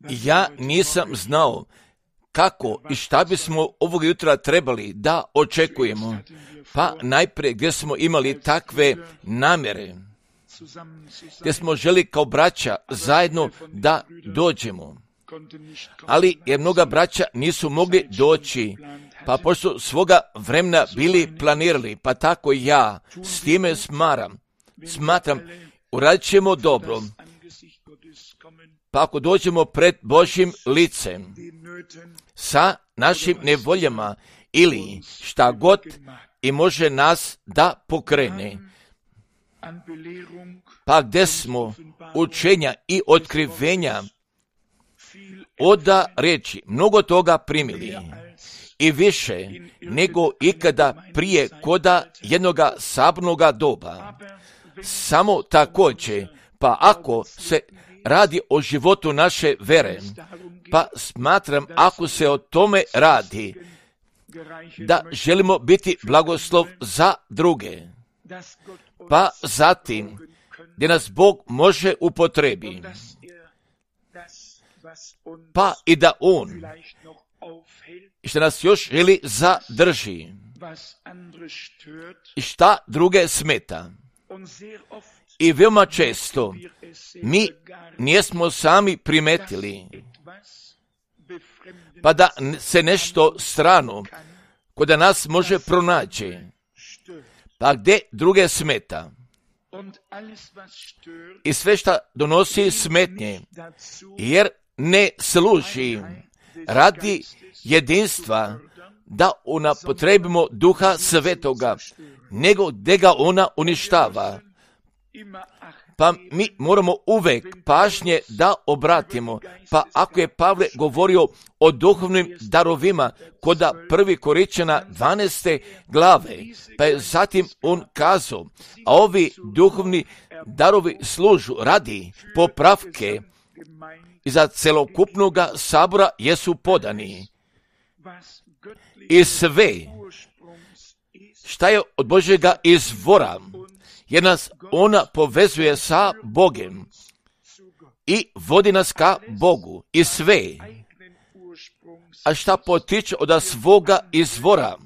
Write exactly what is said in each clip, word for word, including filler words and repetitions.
Ja nisam znao kako i šta bismo ovog jutra trebali da očekujemo. Pa najprije gdje smo imali takve namjere, gdje smo želi kao braća zajedno da dođemo. Ali jer mnoga braća nisu mogli doći, pa pošto svoga vremena bili planirali, pa tako i ja s time smaram, smatram, uradit ćemo dobro. Pa ako dođemo pred Božjim licem sa našim nevoljama ili šta god i može nas da pokrene, pa gdje smo učenja i otkrivenja oda reći mnogo toga primili i više nego ikada prije koda jednoga sabornoga doba. Samo također, pa ako se radi o životu naše vere, pa smatram ako se o tome radi, da želimo biti blagoslov za druge, pa zatim gdje nas Bog može upotrebi, pa i da On što nas još želi zadrži i šta druge smeta. I veoma često mi nismo sami primetili, pa da se nešto strano kod nas može pronaći, pa gdje druge smeta. I sve što donosi smetnje, jer ne služi radi jedinstva da unapotrebimo Duha Svetoga, nego gdje ga ona uništava. Pa mi moramo uvek pažnje da obratimo. Pa ako je Pavle govorio o duhovnim darovima koda prvi Korinćana dvanaeste glave, pa je zatim on kazao, a ovi duhovni darovi služu radi popravke i za celokupnoga sabora jesu podani. I sve šta je od Božjega izvora, jer nas ona povezuje sa Bogem i vodi nas ka Bogu i sve, a šta potiče od svoga izvora,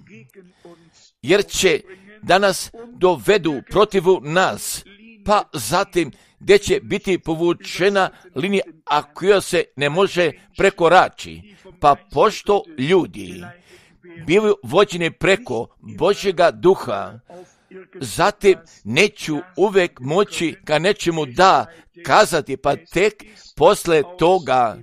jer će da nas dovedu protivu nas, pa zatim gdje će biti povučena linija, a koja se ne može prekorači, pa pošto ljudi bivaju vođeni preko Božjega duha, zatim neću uvek moći ka nečemu da kazati, pa tek posle toga,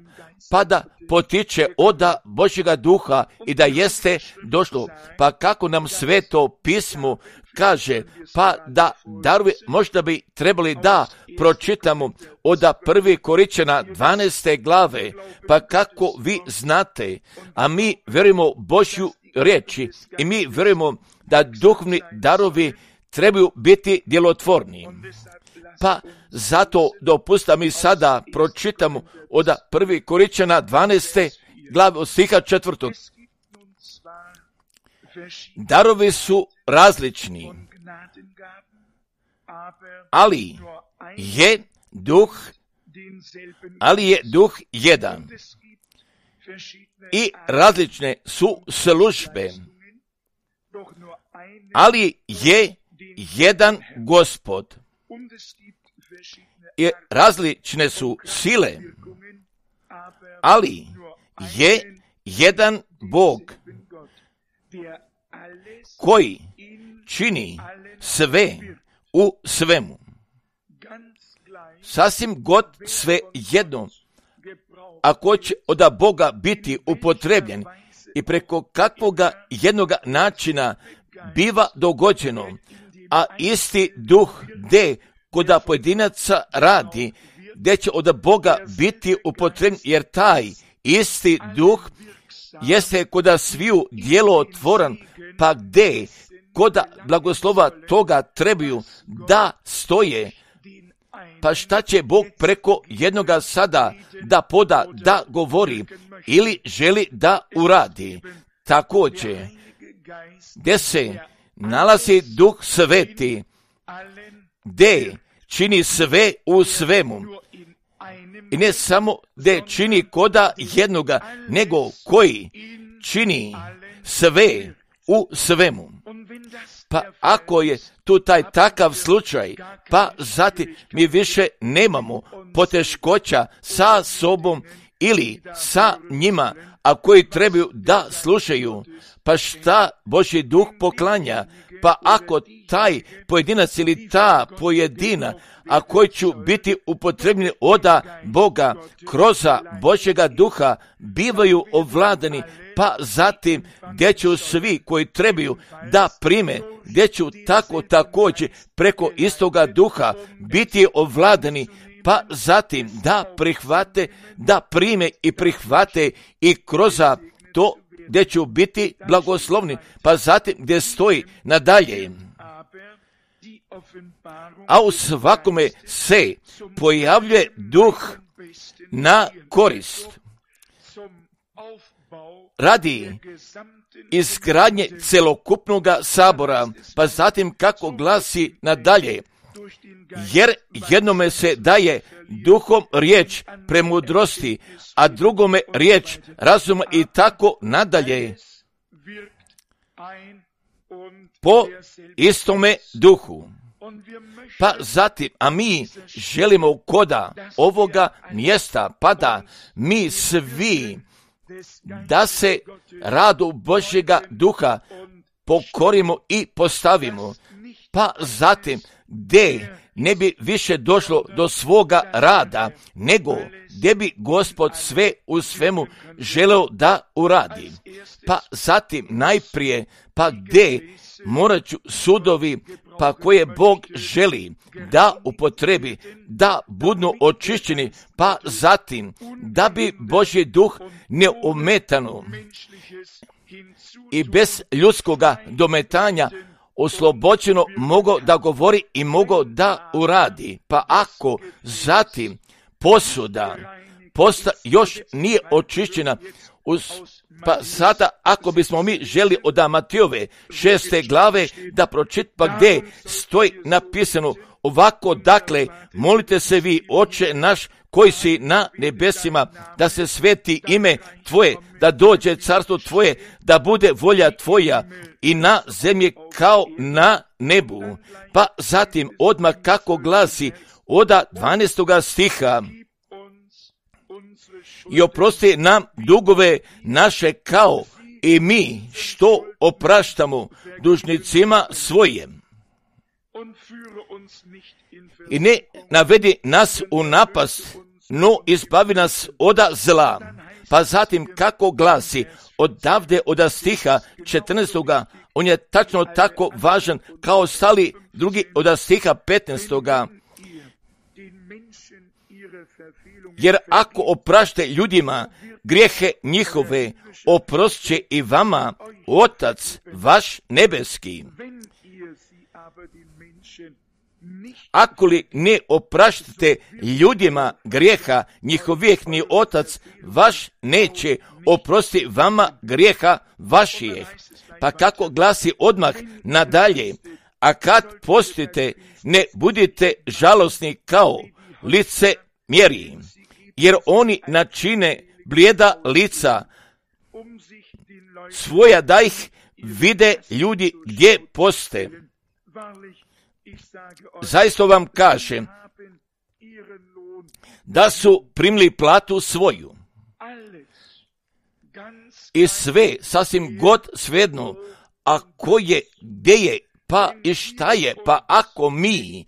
pa da potiče oda Božjega duha i da jeste došlo. Pa kako nam Sveto pismo kaže, pa da darovi možda bi trebali da pročitamo oda prvi Korinćana dvanaeste glave, pa kako vi znate, a mi vjerujemo Božju riječi i mi vjerujemo da duhovni darovi trebaju biti djelotvorni. Pa zato dopusta mi sada pročitamo od prvi Korinćana dvanaeste glave od stiha četvrtog. Darovi su različni, ali je duh, ali je duh jedan. I različne su službe, ali je jedan Gospod. I različne su sile, ali je jedan Bog koji čini sve u svemu. Sasvim god sve jedno, ako će od Boga biti upotrebljen i preko kakvoga jednoga načina biva dogođeno, a isti duh gdje kod pojedinaca radi, gdje će od Boga biti upotrebljen, jer taj isti duh jeste kod sviju djelotvoran, pa gdje kod blagoslova toga trebaju da stoje. Pa šta će Bog preko jednoga sada da poda, da govori ili želi da uradi? Također, gdje se nalazi Duh Sveti, gdje čini sve u svemu, I ne samo da čini koda jednoga, nego koji čini sve u svemu. Pa ako je tu taj takav slučaj, pa zatim mi više nemamo poteškoća sa sobom ili sa njima, a koji trebaju da slušaju, pa šta Božji duh poklanja, pa ako taj pojedinac ili ta pojedina, a koji ću biti upotrebljeni oda Boga kroz Božjega duha, bivaju ovladani, pa zatim gdje će svi koji trebaju da prime, gdje će tako također preko istoga duha biti ovladani, pa zatim da prihvate, da prime i prihvate i kroz to gdje ću biti blagoslovni, pa zatim gdje stoji nadalje. A u svakome se pojavljuje duh na korist radi izgradnje celokupnog sabora, pa zatim kako glasi nadalje, jer jednome se daje duhom riječ premudrosti, a drugome riječ razuma i tako nadalje, po istome duhu. Pa zatim, a mi želimo koda ovoga mjesta, pa da mi svi da se radu Božjega duha pokorimo i postavimo, pa zatim gdje ne bi više došlo do svoga rada, nego gdje bi Gospod sve u svemu želeo da uradi. Pa zatim najprije, pa gdje morat ću sudovi, pa koje Bog želi da upotrebi, da budu očišćeni, pa zatim da bi Božji duh neometano i bez ljudskoga dometanja oslobođeno mogao da govori i mogao da uradi. Pa ako zatim posuda posta još nije očišćena, uz, pa sada ako bismo mi želi od Matijove šeste glave da pročit, pa gdje stoji napisano ovako, dakle, molite se vi, Oče naš koji si na nebesima, da se sveti ime Tvoje, da dođe carstvo Tvoje, da bude volja Tvoja i na zemlji kao na nebu. Pa zatim odmah kako glasi od dvanaestoga stiha, i oprosti nam dugove naše kao i mi što opraštamo dužnicima svojim. I ne navedi nas u napast, no izbavi nas od zla. Pa zatim kako glasi odavde od stiha četrnaestoga, on je tačno tako važan kao stali drugi od stiha petnaestoga. Jer ako oprašte ljudima grijehe njihove, oprostit će i vama Otac vaš nebeski. Ako li ne opraštate ljudima grijeha njihovih, ni Otac vaš neće oprostiti vama grijeha vaših. Pa kako glasi odmah nadalje, a kad postite, ne budite žalosni kao lice mjeri, jer oni načine blijeda lica svoja da ih vide ljudi gdje poste. Zaista vam kažem da su primili platu svoju i sve sasvim god svejedno, a ko je, gdje je, pa i šta je, pa ako mi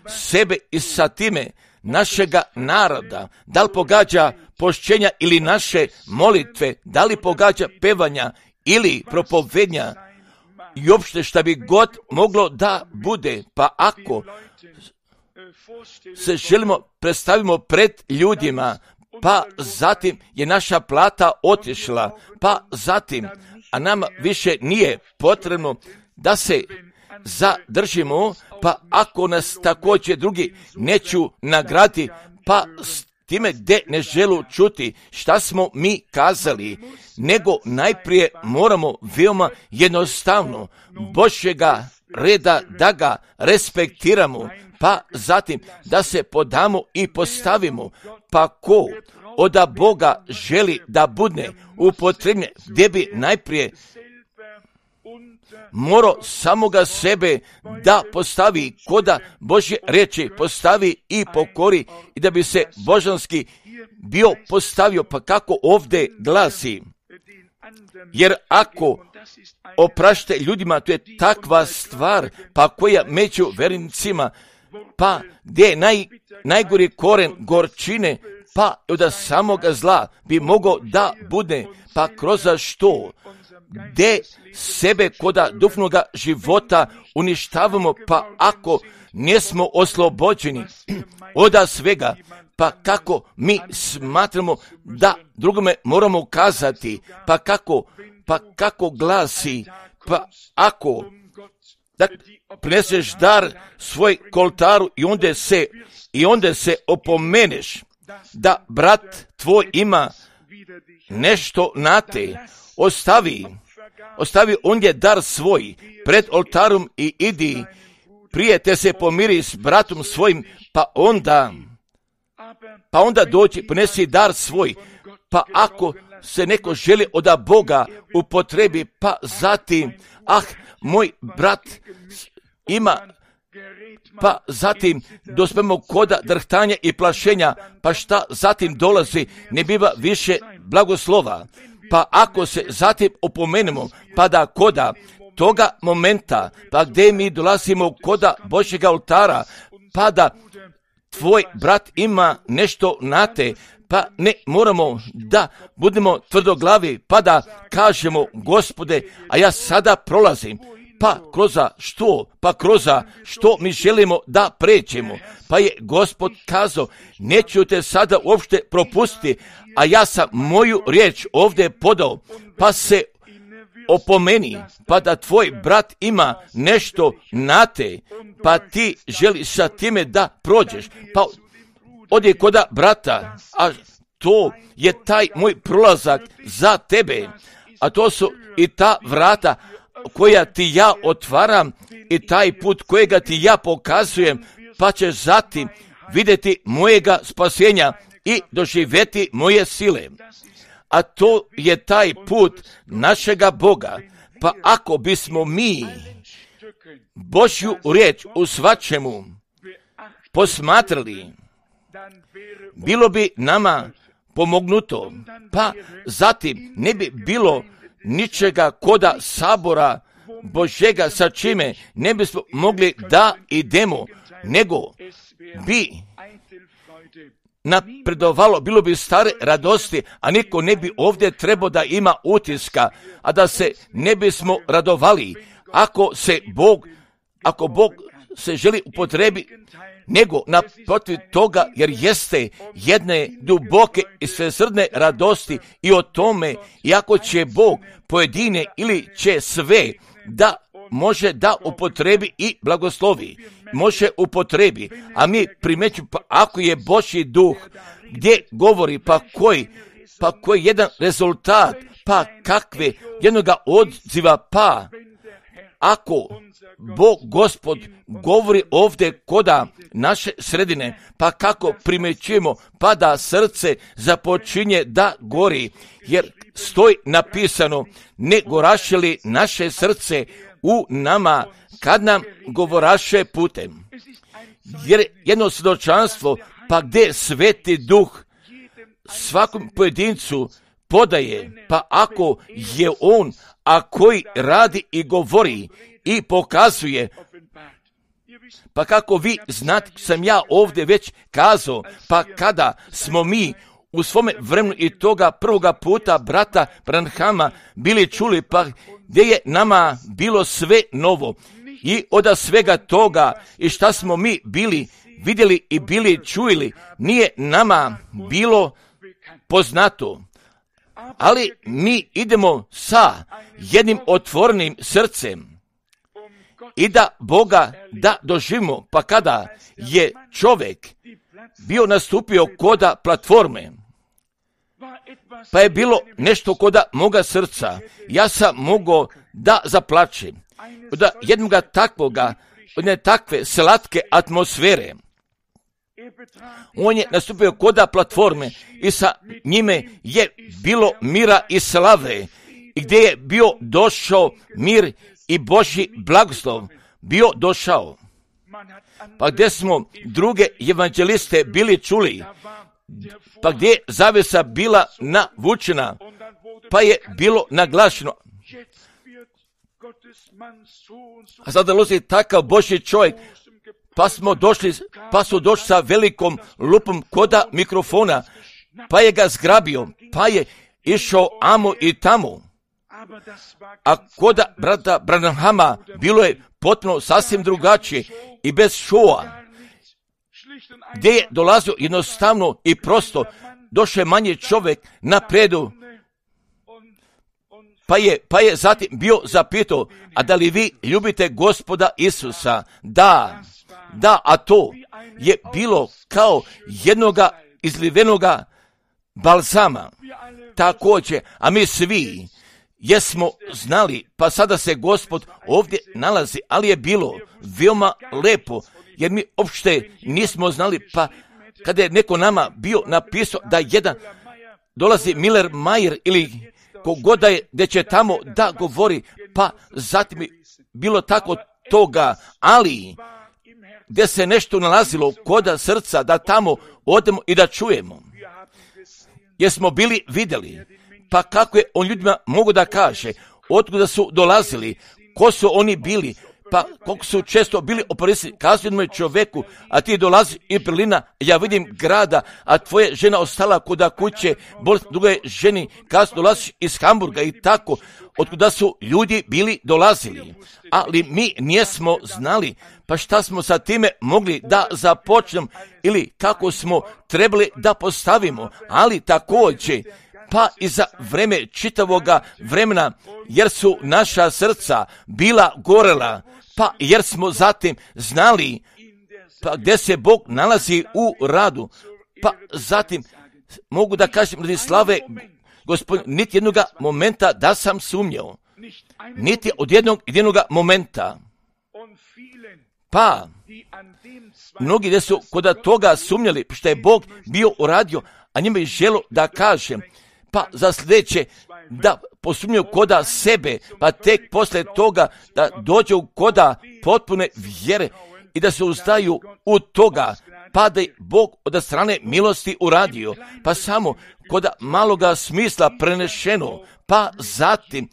sebe i sa time našega naroda, da li pogađa pošćenja ili naše molitve, da li pogađa pevanja ili propovednja i uopšte šta bi god moglo da bude, pa ako se želimo predstavimo pred ljudima, pa zatim je naša plata otišla, pa zatim, a nama više nije potrebno da se zadržimo, pa ako nas također drugi neću nagradi, pa s time gdje ne želu čuti šta smo mi kazali, nego najprije moramo veoma jednostavno Božjega reda da ga respektiramo, pa zatim da se podamo i postavimo, pa ko od Boga želi da budne upotrebljen, gdje bi najprije morao samoga sebe da postavi, koda Božje riječi postavi i pokori i da bi se božanski bio postavio, pa kako ovdje glasi. Jer ako oprašte ljudima, to je takva stvar, pa koja među vernicima, pa gdje je naj, najgori koren gorčine, pa od samoga zla bi mogao da bude, pa kroz što, gdje sebe koda duhovnoga života uništavamo, pa ako nismo oslobođeni od svega, pa kako mi smatramo da drugome moramo ukazati, pa kako, pa kako glasi, pa ako da prineseš dar svoj koltaru i onda se, i onda se opomeneš da brat tvoj ima nešto na te, ostavi, ostavi ondje dar svoj pred oltarom i idi, prije te se pomiri s bratom svojim, pa onda, pa onda dođi, ponesi dar svoj, pa ako se neko želi od Boga upotrebi, pa zatim, ah, moj brat ima, pa zatim dospemo koda drhtanja i plašenja, pa šta zatim dolazi, ne biva više blagoslova. Pa ako se zatim opomenemo, pa da koda toga momenta, pa gdje mi dolazimo koda Božjega oltara, pa da tvoj brat ima nešto na te, pa ne moramo da budemo tvrdoglavi, pa da kažemo, Gospode, a ja sada prolazim, pa kroz što, pa kroz što mi želimo da pređemo. Pa je Gospod kazao, neću te sada uopšte propustiti, a ja sam moju riječ ovdje podao, pa se opomeni, pa da tvoj brat ima nešto na te, pa ti želiš sa time da prođeš, pa odi koda brata, a to je taj moj prolazak za tebe, a to su i ta vrata koja ti ja otvaram i taj put kojega ti ja pokazujem, pa ćeš zatim vidjeti mojega spasenja i doživjeti moje sile. A to je taj put našega Boga. Pa ako bismo mi Božju riječ u svačemu posmatrali, bilo bi nama pomognuto, pa zatim ne bi bilo ničega koda sabora Božjega sa čime ne bismo mogli da idemo, nego bi napredovalo, bilo bi stare radosti, a niko ne bi ovdje trebao da ima utiska, a da se ne bismo radovali, ako se Bog, ako Bog se želi upotrebi, nego naprotiv toga, jer jeste jedne duboke i svesrdne radosti i o tome, iako će Bog pojedine ili će sve da može da upotrebi i blagoslovi, može upotrebi, a mi primeću, pa ako je Božji duh gdje govori, pa koji, pa koji jedan rezultat, pa kakve jednoga odziva, pa ako Bog Gospod govori ovdje koda naše sredine, pa kako primećujemo, pa da srce započinje da gori, jer stoji napisano, ne goraše li naše srce u nama kad nam govoraše putem. Jer jedno svjedočanstvo, pa gdje Sveti Duh svakom pojedincu podaje, pa ako je on, a koji radi i govori i pokazuje, pa kako vi znate, sam ja ovdje već kazao, pa kada smo mi u svome vremenu i toga prvoga puta brata Branhama bili čuli, pa gdje je nama bilo sve novo i od svega toga i šta smo mi bili vidjeli i bili čuli, nije nama bilo poznato. Ali mi idemo sa jednim otvorenim srcem i da Boga da doživimo, pa kada je čovjek bio nastupio koda platforme, pa je bilo nešto koda moga srca, ja sam mogao da zaplačem. Da jednoga takvoga jedne takve slatke atmosfere. On je nastupio koda platforme i sa njime je bilo mira i slave, i gdje je bio došao mir i Božji blagoslov bio došao. Pa gdje smo druge evanđeliste bili čuli, pa gdje je zavjesa bila navučena, pa je bilo naglašeno. A sada dolazi takav Božji čovjek, pa smo došli, pa su došli sa velikom lupom koda mikrofona, pa je ga zgrabio, pa je išao amo i tamo. A koda brata Branhama bilo je potpuno sasvim drugačije i bez šoa, gdje je dolazio jednostavno i prosto, došao je manji čovjek napredu, pa je, pa je zatim bio zapitao, a da li vi ljubite Gospoda Isusa? Da, da, a to je bilo kao jednoga izlivenoga balzama. Također, a mi svi jesmo znali, pa sada se Gospod ovdje nalazi, ali je bilo veoma lepo, jer mi uopšte nismo znali, pa kada je neko nama bio napisao da jedan dolazi Miller Mayer ili kogoda je, gdje će tamo da govori, pa zatim je bilo tako toga, ali gdje se nešto nalazilo koda srca, da tamo odemo i da čujemo. Jer smo bili vidjeli, pa kako je on ljudima mogu da kaže, otkuda su dolazili, ko su oni bili, pa koliko su često bili oporisni, kazuju jednome čovjeku, a ti dolazi iz Berlina, ja vidim grada, a tvoja žena ostala kuda kuće, bolest druge ženi, kazuju dolaziš iz Hamburga i tako, otkuda su ljudi bili dolazili. Ali mi nismo znali, pa šta smo sa time mogli da započnemo ili kako smo trebali da postavimo, ali također, pa i za vreme čitavoga vremena, jer su naša srca bila gorela, pa jer smo zatim znali pa gdje se Bog nalazi u radu, pa zatim mogu da kažem radi slave Gospodin, niti jednog momenta da sam sumnjao, niti od jednog jednog momenta. Pa mnogi gdje su kod toga sumnjali što je Bog bio uradio, a njima je želo da kažem, pa za sljedeće da posumnjaju koda sebe, pa tek poslije toga da dođu koda potpune vjere i da se uzdaju u toga, pa da je Bog od strane milosti uradio, pa samo koda maloga smisla prenešeno, pa zatim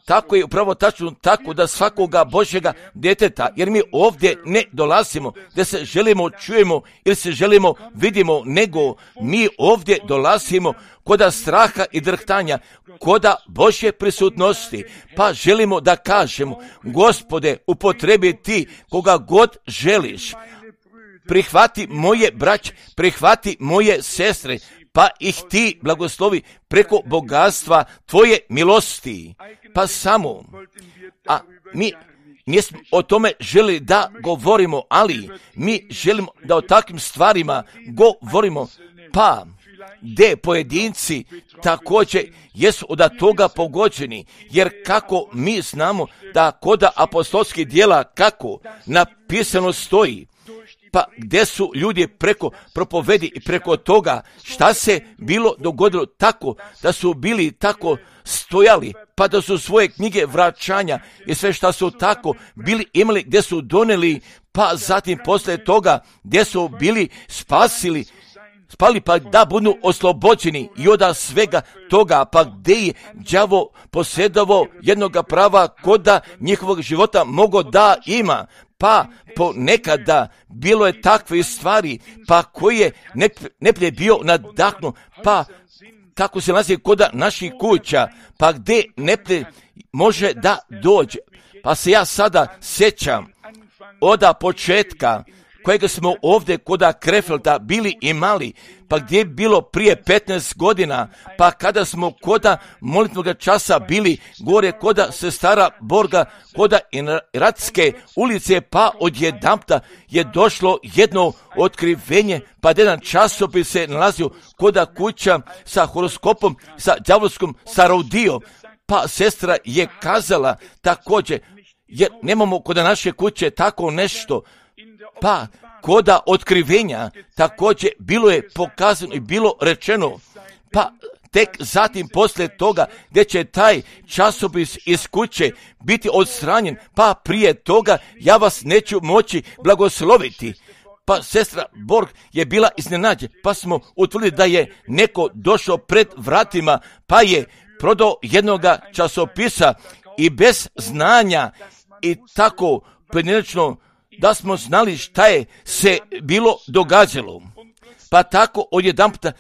tako je upravo tačno tako da svakoga Božjega djeteta, jer mi ovdje ne dolazimo da se želimo čujemo ili se želimo vidimo, nego mi ovdje dolazimo koda straha i drhtanja, koda Božje prisutnosti, pa želimo da kažemo, Gospode, upotrebi ti koga god želiš, prihvati moje braće, prihvati moje sestre, pa ih ti blagoslovi preko bogatstva tvoje milosti. Pa samo, a mi nismo o tome želi da govorimo, ali mi želimo da o takvim stvarima govorimo, pa gdje pojedinci također jesu od toga pogođeni, jer kako mi znamo da koda apostolskih djela kako napisano stoji, pa gdje su ljudi preko propovedi i preko toga šta se bilo dogodilo tako da su bili tako stojali, pa da su svoje knjige vraćanja i sve šta su tako bili imali gdje su doneli, pa zatim poslije toga gdje su bili spasili, spali pa da budu oslobođeni i od svega toga, pa gdje je đavo posjedovao jednoga prava koda njihovog života mogo da ima, pa ponekada bilo je takve stvari, pa koji je neplje bio nadahnu, pa kako se nalazi koda naših kuća, pa gdje neplje može da dođe. Pa se ja sada sjećam od početka kojega smo ovdje koda Krefelda bili imali, pa gdje je bilo prije petnaest godina, pa kada smo koda molitvnog časa bili gore koda sestara Borga, koda Iratske ulice, pa odjedanpta je došlo jedno otkrivenje, pa jedan časopis se nalazio koda kuća sa horoskopom, sa đavolskom, sa Raudio, pa sestra je kazala također, jer nemamo kod naše kuće tako nešto, pa koda otkrivenja također bilo je pokazano i bilo rečeno, pa tek zatim poslije toga gdje će taj časopis iz kuće biti odstranjen, pa prije toga ja vas neću moći blagosloviti. Pa sestra Borg je bila iznenađena, pa smo utvrdili da je neko došao pred vratima, pa je prodao jednoga časopisa i bez znanja i tako pojedinačno da smo znali šta je se bilo događalo. Pa tako odjedanputa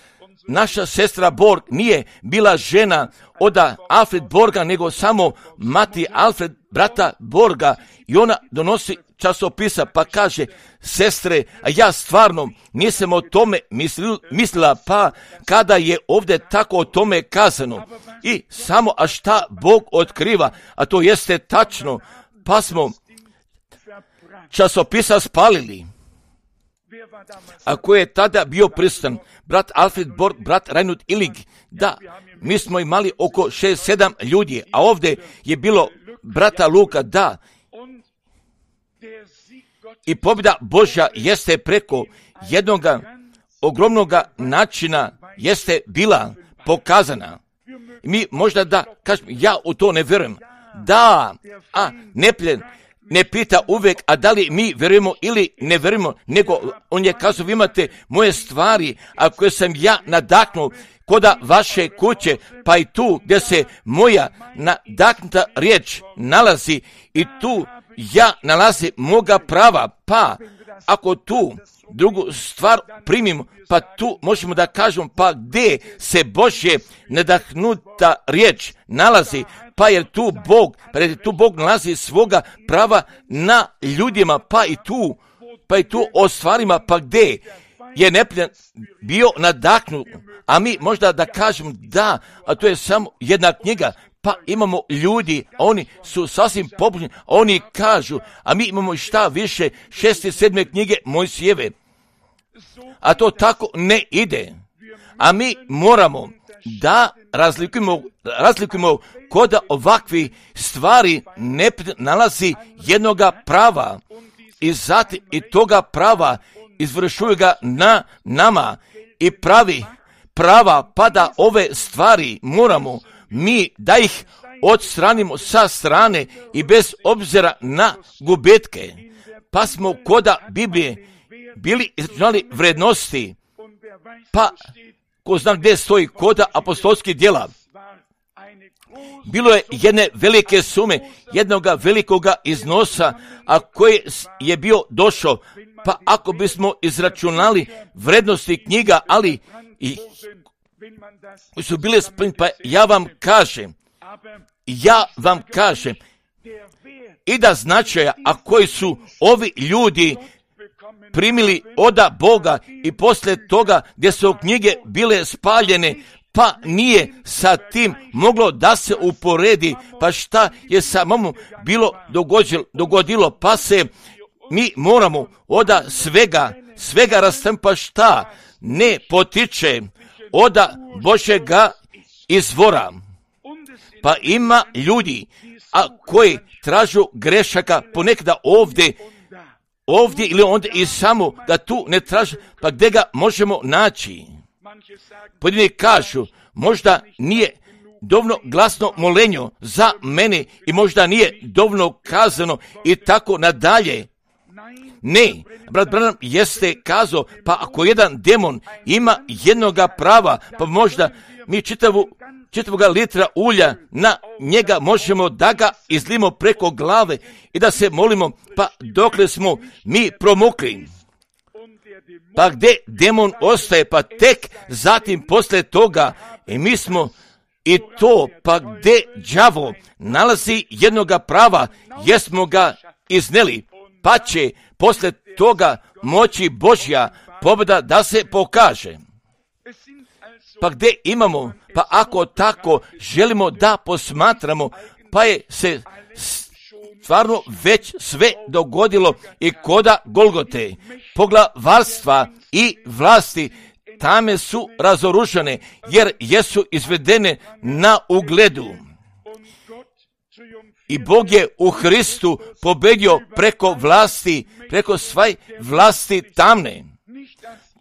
naša sestra Borg nije bila žena od Alfred Borga, nego samo mati Alfred, brata Borga, i ona donosi časopisa pa kaže, sestre, a ja stvarno nisam o tome mislila, pa kada je ovdje tako o tome kazano i samo a šta Bog otkriva, a to jeste tačno, pa smo časopisa spalili. A ko je tada bio prisutan? Brat Alfred Borg, brat Reinhard Illig. Da, mi smo imali oko šest sedam ljudi, a ovdje je bilo brata Luka, da. I pobjeda Božja jeste preko jednog ogromnog načina jeste bila pokazana. Mi možda da kažem, ja u to ne vjerujem. Da, a nepljen ne pita uvijek, a da li mi vjerujemo ili ne vjerujemo, nego on je kazao, vi imate moje stvari, a koje sam ja nadahnuo koda vaše kuće, pa i tu gdje se moja nadahnuta riječ nalazi i tu ja nalazi moga prava, pa ako tu drugu stvar primimo, pa tu možemo da kažemo, pa gdje se Božje nadahnuta riječ nalazi, pa jer tu Bog, pa jer tu Bog nalazi svoga prava na ljudima, pa i tu, pa i tu o stvarima, pa gdje je nepljen bio nadahnut, a mi možda da kažemo da, a to je samo jedna knjiga, pa imamo ljudi, a oni su sasvim pobožni, a oni kažu, a mi imamo šta više šeste, sedme knjige Mojsijeve. A to tako ne ide. A mi moramo da razlikujemo, razlikujemo kod ovakvi stvari ne nalazi jednoga prava. I zatim i toga prava izvršuju ga na nama i pravi prava, pa da ove stvari moramo mi da ih odstranimo sa strane i bez obzira na gubitke. Pa smo koda Biblije bili izračunali vrednosti, pa ko zna gdje stoji koda apostolskih djela. Bilo je jedne velike sume, jednog velikoga iznosa, a koji je bio došao, pa ako bismo izračunali vrednosti knjiga, ali i koji su bile spremni, pa ja vam kažem, ja vam kažem, i da značaja, a koji su ovi ljudi primili oda Boga i poslije toga gdje su knjige bile spaljene, pa nije sa tim moglo da se uporedi, pa šta je samому bilo dogodilo, dogodilo, pa se mi moramo oda svega, svega rastaviti, pa šta ne potiče oda Božjega izvora. Pa ima ljudi, a koji tražu grešaka ponekada ovdje, ovdje ili onda i samo da tu ne traže, pa gdje ga možemo naći? Pojedini kažu, možda nije dovoljno glasno molenje za mene i možda nije dovoljno kazano i tako nadalje. Ne, brat Branham jeste kazao, pa ako jedan demon ima jednoga prava, pa možda mi čitavu, čitavoga litra ulja na njega možemo da ga izlimo preko glave i da se molimo, pa dokle smo mi promukli. Pa gdje demon ostaje, pa tek zatim poslije toga i mi smo i to, pa gdje đavo nalazi jednoga prava, jesmo ga izneli, pa će poslije toga moći Božja pobjeda da se pokaže. Pa gdje imamo, pa ako tako želimo da posmatramo, pa je se stvarno već sve dogodilo i koda Golgote, poglavarstva i vlasti tame su razoružene, jer jesu izvedene na ugledu. I Bog je u Hristu pobedio preko vlasti, preko svaj vlasti tamne.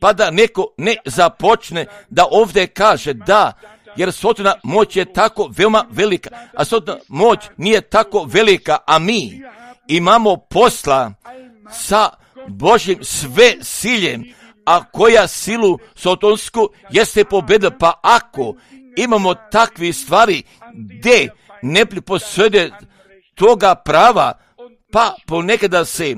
Pa da neko ne započne da ovdje kaže da, jer Sotona moć je tako veoma velika, a Sotona moć nije tako velika, a mi imamo posla sa Božjim sve siljem, a koja silu sotonsku jeste pobedila. Pa ako imamo takve stvari gdje ne posjede toga prava, pa ponekada se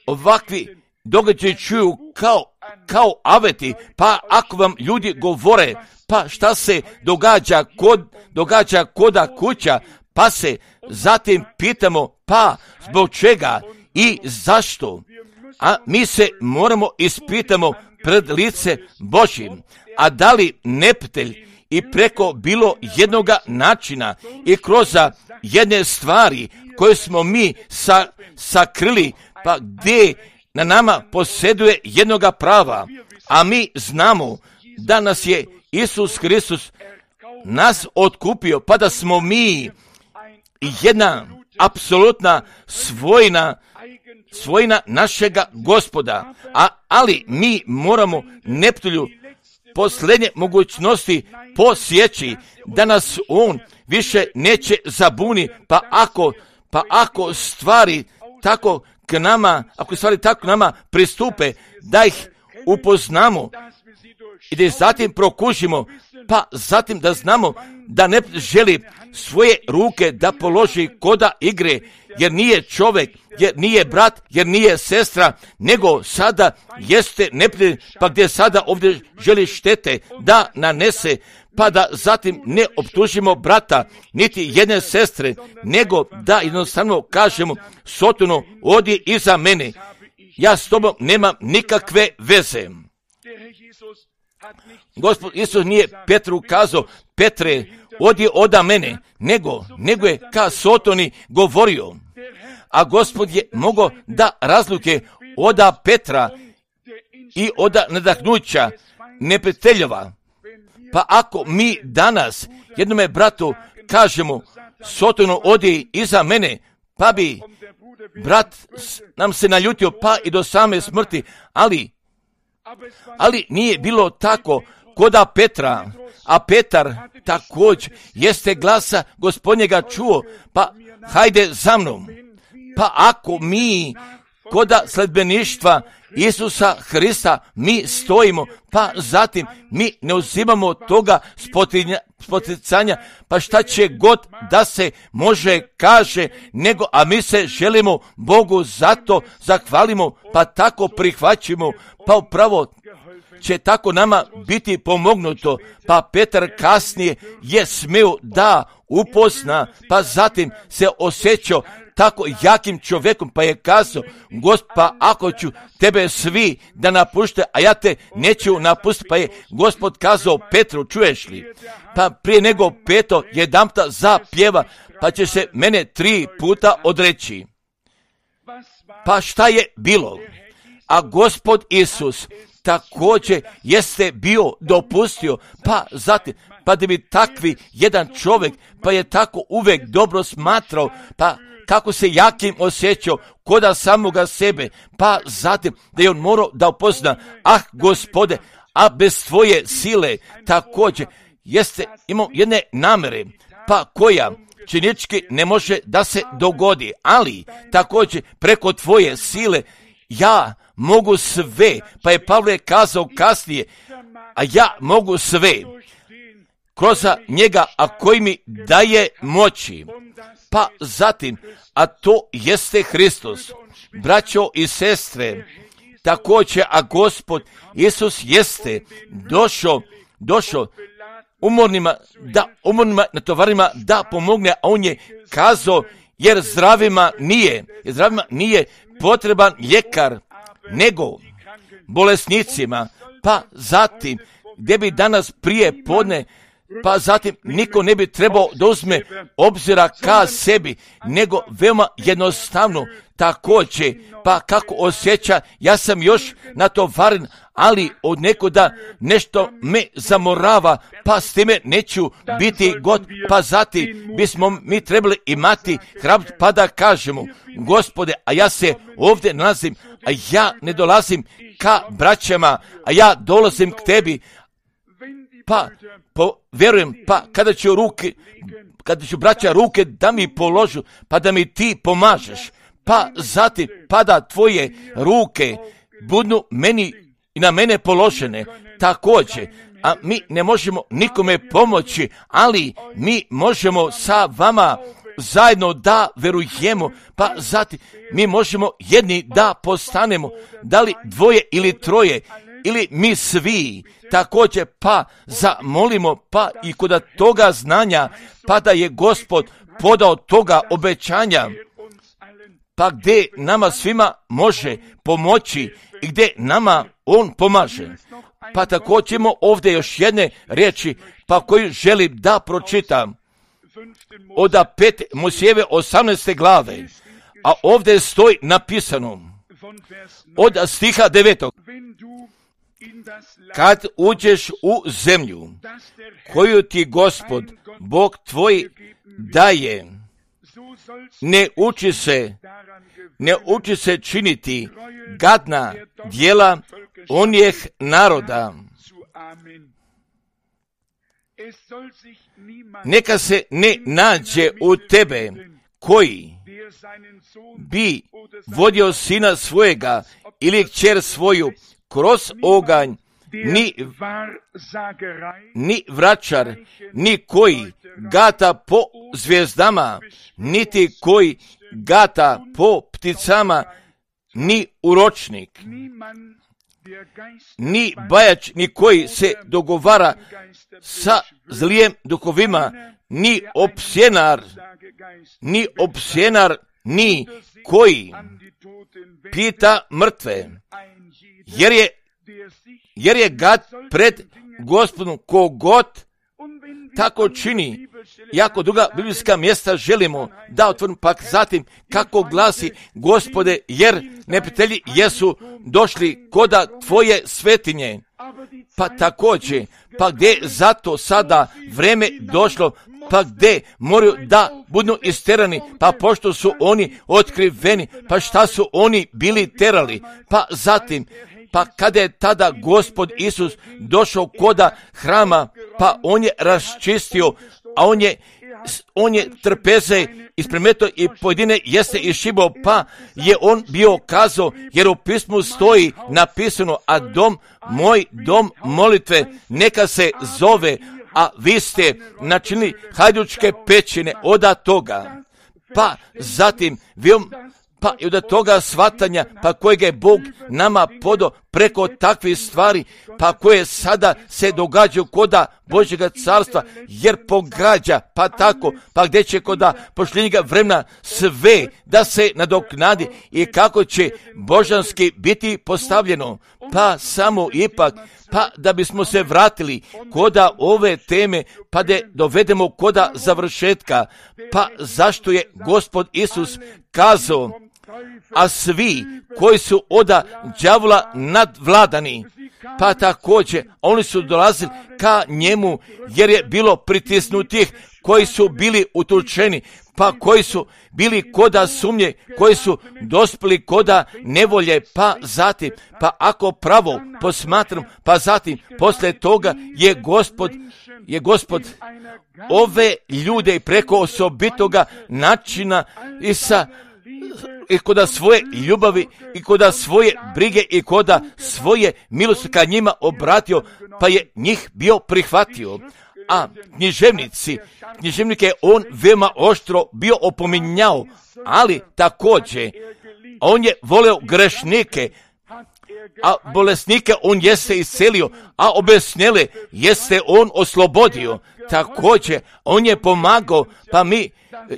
ovakvi događaji čuju kao, kao aveti, pa ako vam ljudi govore, pa šta se događa kod, događa koda kuća, pa se zatim pitamo, pa zbog čega i zašto? A mi se moramo ispitamo pred lice Božjim, a da li neptelj i preko bilo jednoga načina i kroz jedne stvari koje smo mi sa, sakrili, pa gdje na nama posjeduje jednoga prava, a mi znamo da nas je Isus Hristos nas otkupio, pa da smo mi jedna apsolutna svojina, svojina našega Gospoda, a, ali mi moramo neptulju posljednje mogućnosti posjeći da nas on više neće zabuni, pa ako, pa ako stvari tako k nama, ako stvari tako nama pristupe, da ih upoznamo i da ih zatim prokužimo, pa zatim da znamo da ne želi svoje ruke da položi koda igre, jer nije čovjek, jer nije brat, jer nije sestra, nego sada jeste neprijatelj, pa gdje sada ovdje želi štete da nanese, pa da zatim ne optužimo brata, niti jedne sestre, nego da jednostavno kažemo, Sotono, odi iza mene, ja s tobom nemam nikakve veze. Gospod Isus nije Petru kazao, Petre, odi oda mene, nego, nego je ka Sotoni govorio. A Gospod je mogao da razluke oda Petra i oda nadahnuća neprijateljova. Pa ako mi danas jednome bratu kažemo, Sotono, odi iza mene, pa bi brat nam se naljutio pa i do same smrti, ali ali nije bilo tako koda Petra, a Petar također jeste glasa Gospodnjega čuo, pa hajde za mnom. Pa ako mi koda sledbeništva Isusa Hrista mi stojimo, pa zatim mi ne uzimamo toga spoticanja, pa šta će god da se može kaže, nego, a mi se želimo Bogu zato zahvalimo, pa tako prihvaćimo, pa upravo će tako nama biti pomognuto. Pa Petar kasnije je smio da upozna, pa zatim se osjećao tako jakim čovjekom, pa je kazao, Gospa, ako ću tebe svi da napušte, a ja te neću napustiti, pa je Gospod kazao Petru, čuješ li? Pa prije nego peto jedanputa zapjeva, pa će se mene tri puta odreći. Pa šta je bilo? A Gospod Isus također jeste bio dopustio, pa zatim, pa da bi takvi jedan čovjek, pa je tako uvijek dobro smatrao, pa kako se jakim osjećao koda samoga sebe, pa zatim da je on morao da upozna, ah Gospode, a bez tvoje sile također jeste imao jedne namere, pa koja činički ne može da se dogodi, ali također preko tvoje sile ja mogu sve, pa je Pavle kazao kasnije, a ja mogu sve kroz njega, a koji mi daje moći. Pa zatim, a to jeste Hristos. Braćo i sestre, također, a Gospod Isus jeste došao, došao umornima, da, umornima na tovarima da pomogne, a on je kazao, jer zdravima nije, jer zdravima nije potreban ljekar, nego bolesnicima. Pa zatim, gdje bi danas prije podne pa zatim niko ne bi trebao da uzme obzira ka sebi, nego veoma jednostavno također, pa kako osjeća, ja sam još natovaren, ali od nekoda nešto me zamorava, pa s time neću biti god, pa zatim bismo mi trebali imati hrabrost pa da kažemo, Gospode, a ja se ovdje nalazim, a ja ne dolazim ka braćama, a ja dolazim k tebi, pa po, vjerujem, pa kada ću ruke, kada ću braća ruke da mi položu, pa da mi ti pomažeš, pa zatim pa da tvoje ruke budu meni i na mene položene također, a mi ne možemo nikome pomoći, ali mi možemo sa vama zajedno da verujemo, pa zatim mi možemo jedni da postanemo, da li dvoje ili troje, ili mi svi, također pa zamolimo, pa i kod toga znanja, pa da je Gospod podao toga obećanja, pa gdje nama svima može pomoći i gdje nama On pomaže. Pa također ćemo ovdje još jedne riječi, pa koju želim da pročitam, od pet Mojsijeve osamnaeste glave, a ovdje stoji napisano, od stiha devetog. Kad uđeš u zemlju koju ti Gospod, Bog tvoj, daje, ne uči se, ne uči se činiti gadna djela onih naroda. Neka se ne nađe u tebe koji bi vodio sina svojega ili kćer svoju kroz oganj, ni, ni vračar, ni koji gata po zvijezdama, niti koji gata po pticama, ni uročnik, ni bajač, ni koji se dogovara sa zlijem duhovima, ni opsjenar, ni opsjenar, ni koji pita mrtve, jer je, jer je gad pred Gospodom kogod tako čini. Jako druga biblijska mjesta želimo da otvorim, pak zatim kako glasi, Gospode, jer neprijatelji jesu došli koda tvoje svetinje. Pa također, pa gdje zato sada vreme došlo, pa gdje moraju da budu isterani, pa pošto su oni otkriveni, pa šta su oni bili terali, pa zatim, pa kada je tada Gospod Isus došao koda hrama, pa on je raščistio, a on je, on je trpeze ispremetao i pojedine jeste išibao, pa je on bio kazao, jer u pismu stoji napisano, a dom moj, dom molitve, neka se zove, a vi ste načinili hajdučke pećine od toga. Pa zatim, vi pa i od toga shvatanja, pa kojeg je Bog nama podao preko takvih stvari, pa koje sada se događaju koda Božjega carstva, jer pogađa, pa tako, pa gdje će koda pošljenjega vremena sve da se nadoknadi i kako će božanski biti postavljeno, pa samo ipak, pa da bismo se vratili koda ove teme, pa da dovedemo koda završetka, pa zašto je Gospod Isus kazao, a svi koji su oda đavola nadvladani, pa također oni su dolazili ka njemu, jer je bilo pritisnutih koji su bili utučeni, pa koji su bili koda sumnje, koji su dospjeli koda nevolje, pa zatim, pa ako pravo posmatram, pa zatim, poslije toga je Gospod, je Gospod ove ljude preko osobitoga načina i sa i koda svoje ljubavi i koda svoje brige i koda svoje milosti ka njima obratio, pa je njih bio prihvatio. A književnici, književnike je on veoma oštro bio opominjao, ali također on je voleo grešnike, a bolesnike on jeste iscelio, a obesnjele jeste on oslobodio. Također, on je pomagao, pa mi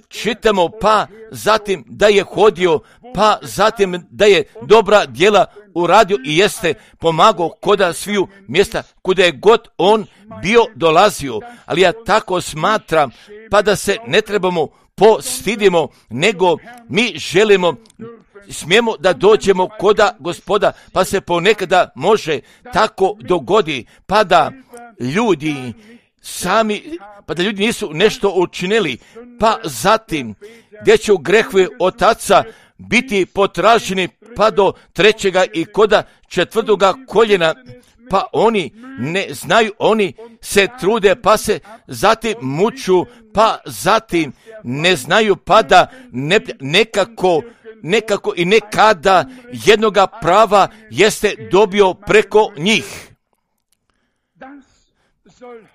čitamo, pa zatim da je hodio, pa zatim da je dobra djela uradio i jeste pomagao koda sviju mjesta, kuda je god on bio dolazio. Ali ja tako smatram, pa da se ne trebamo postidimo, nego mi želimo, smijemo da dođemo koda Gospoda, pa se ponekada može tako dogodi, pa da ljudi sami, pa da ljudi nisu nešto učinili, pa zatim gdje će grehovi otaca biti potraženi pa do trećega i koda četvrtoga koljena, pa oni ne znaju, oni se trude, pa se zatim muču, pa zatim ne znaju, pa da ne, nekako, nekako i nekada jednoga prava jeste dobio preko njih.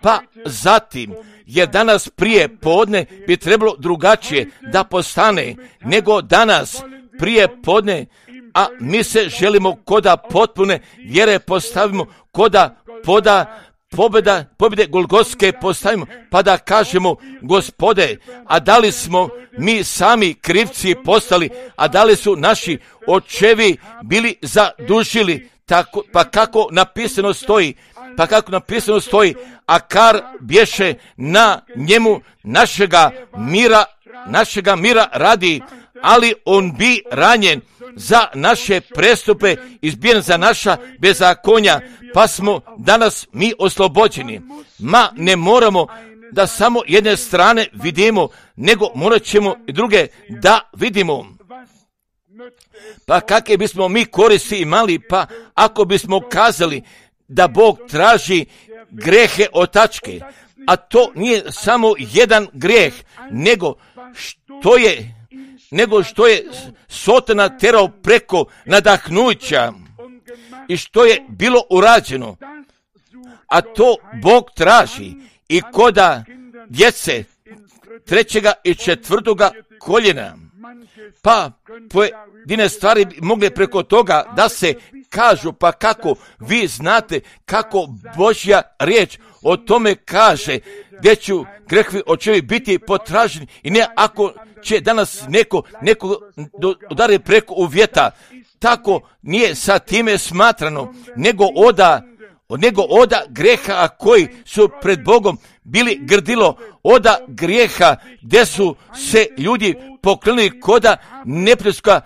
Pa zatim je danas prije podne bi trebalo drugačije da postane nego danas prije podne, a mi se želimo koda potpune vjere postavimo, koda poda pobjeda, pobjede Golgotske postavimo, pa da kažemo, Gospode, a da li smo mi sami krivci postali, a da li su naši očevi bili zadužili, tako, pa kako napisano stoji, pa kako napisano stoji, a kar bješe na njemu našega mira, našega mira radi, ali on bi ranjen za naše prestupe, izbijen za naša bezakonja, pa smo danas mi oslobođeni. Ma ne moramo da samo jedne strane vidimo, nego morat ćemo i druge da vidimo. Pa kakve bismo mi koristi imali, pa ako bismo kazali da Bog traži grehe otačke, a to nije samo jedan grijeh, nego što je nego što je Sotona terao preko nadahnuća i što je bilo urađeno, a to Bog traži i koda djece trećega i četvrtoga koljena. Pa pojedine stvari mogle preko toga da se kažu, pa kako vi znate kako Božja riječ o tome kaže, gdje će grehovi očevi biti potraženi i ne ako će danas neko, neko udari preko uvjeta, tako nije sa time smatrano, nego oda, nego oda greha koji su pred Bogom bili grdilo, oda grijeha gdje su se ljudi poklonili koda neprijateljska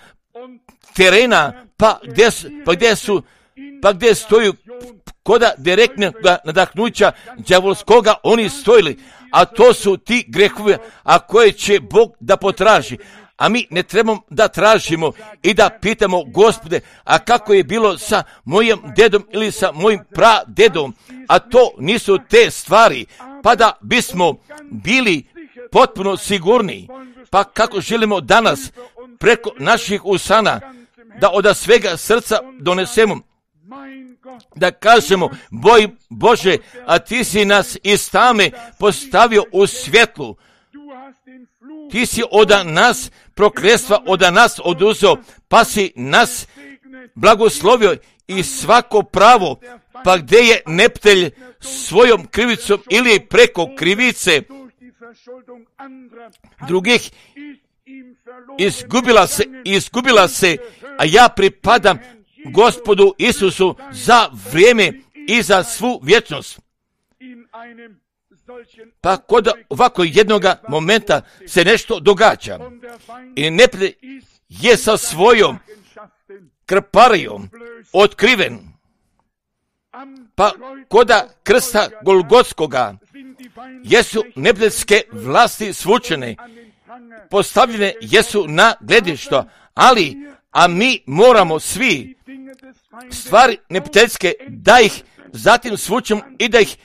terena, pa gdje, pa gdje su, pa gdje stoju koda direktnog nadahnuća đavolskoga oni stojili, a to su ti grehovi, a koje će Bog da potraži. A mi ne trebamo da tražimo i da pitamo, Gospode, a kako je bilo sa mojim dedom ili sa mojim pradedom, a to nisu te stvari, pa da bismo bili potpuno sigurni. Pa kako želimo danas preko naših usana da od svega srca donesemo, da kažemo, boj Bože, a ti si nas iz tame postavio u svjetlu. Ti si od nas prokletstva od nas oduzeo, pa si nas blagoslovio i svako pravo, pa gdje je neptelj svojom krivicom ili preko krivice drugih izgubila se, izgubila se, a ja pripadam Gospodu Isusu za vrijeme i za svu vječnost. Pa kod ovako jednoga momenta se nešto događa i neprijatelj je sa svojom krparijom otkriven. Pa koda krsta Golgotskoga jesu neprijateljske vlasti svučene, postavljene jesu na gledišto, ali a mi moramo svi stvari neprijateljske da ih zatim svučemo i da ih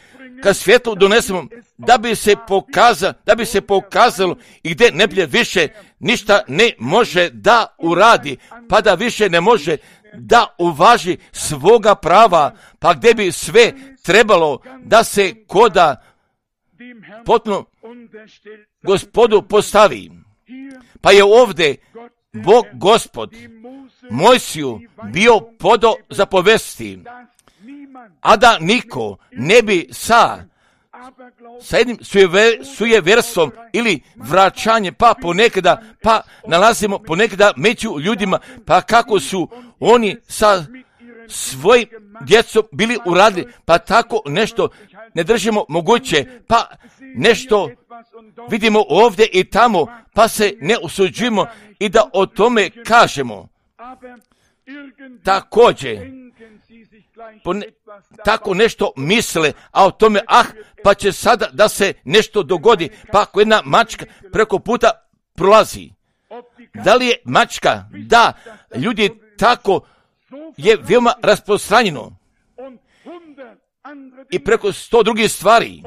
ka svjetlu donesemo, da bi se pokazalo, da bi se pokazalo i gdje neprijatelj više ništa ne može da uradi, pa da više ne može da uvaži svoga prava, pa gdje bi sve trebalo da se koda potpuno Gospodu postavi. Pa je ovdje Bog Gospod Mojsiju bio podo zapovesti, a da niko ne bi sa sa jednim sujeverstvom ili vraćanjem, pa ponekada, pa nalazimo ponekada među ljudima, pa kako su oni sa svojim djecom bili uradili, pa tako nešto ne držimo moguće, pa nešto vidimo ovdje i tamo, pa se ne usuđujemo i da o tome kažemo. Također, pone, tako nešto misle, a o tome, ah, pa će sada da se nešto dogodi, pa ako jedna mačka preko puta prolazi. Da li je mačka? Da, ljudi tako je veoma rasprostranjeno. I preko sto drugih stvari.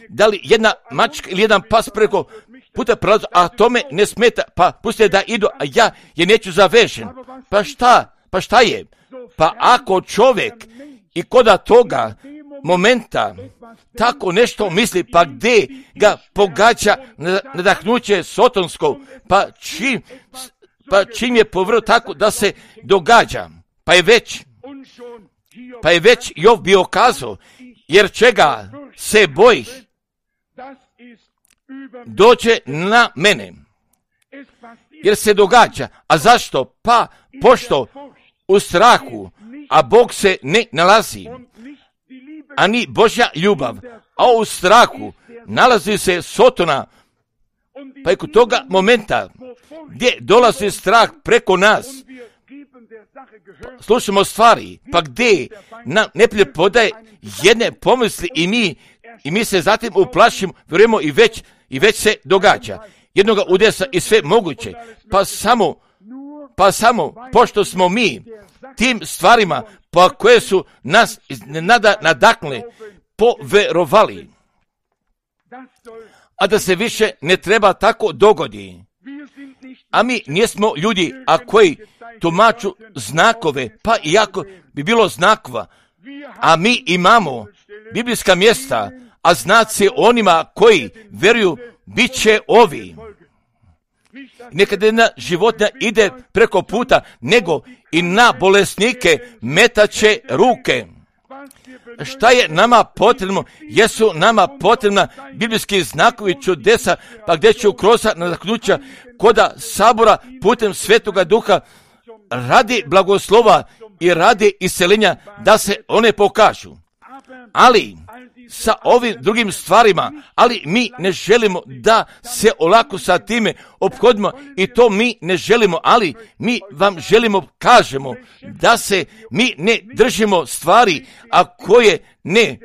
Da li jedna mačka ili jedan pas preko puta prolazi, a tome ne smeta, pa pustite da idu, a ja je neću zavežen. Pa šta? Pa šta je? Pa ako čovjek i koda toga momenta tako nešto misli, pa gdje ga pogađa nadahnuće sotonsko, pa čim, pa čim je povrlo tako da se događa, pa je već, pa je već Jov bio kazao, jer čega se boji, dođe na mene, jer se događa. A zašto? Pa pošto u strahu, a Bog se ne nalazi, ani Božja ljubav, a u strahu nalazi se Sotona, pa i kod toga momenta gdje dolazi strah preko nas, slušamo stvari, pa gdje nam neprijatelj podaje jedne pomisli i mi, i mi se zatim uplašimo, vjerujemo i već, i već se događa. Jednoga udesa i sve moguće, pa samo, pa samo, pošto smo mi tim stvarima, pa koje su nas nada nadaknule, poverovali, a da se više ne treba tako dogodi. A mi nismo ljudi, a koji tumaču znakove, pa iako bi bilo znakova, a mi imamo biblijska mjesta, a znaci onima koji vjeruju bit će ovi. Nekada jedna životinja ide preko puta, nego i na bolesnike metaće ruke. Šta je nama potrebno? Jesu nama potrebna biblijski znakovi čudesa, pa gdje će kroz nadahnuća koda sabora putem Svetoga Duha radi blagoslova i radi iseljenja da se one pokažu. Ali sa ovim drugim stvarima, ali mi ne želimo da se olako sa time ophodimo i to mi ne želimo, ali mi vam želimo, kažemo, da se mi ne držimo stvari, a koje ne,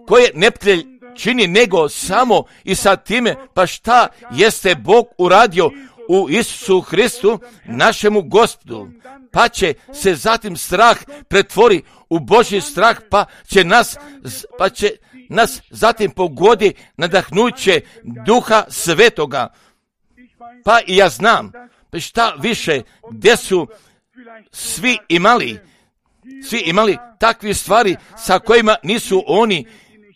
koje neprijatelj čini, nego samo i sa time, pa šta jeste Bog uradio u Isusu Hristu, našemu Gospodu, pa će se zatim strah pretvori u Božji strah, pa će nas, pa će nas zatim pogodi nadahnuće Duha Svetoga. Pa i ja znam, pa šta više, gdje su svi imali, svi imali takve stvari sa kojima nisu oni,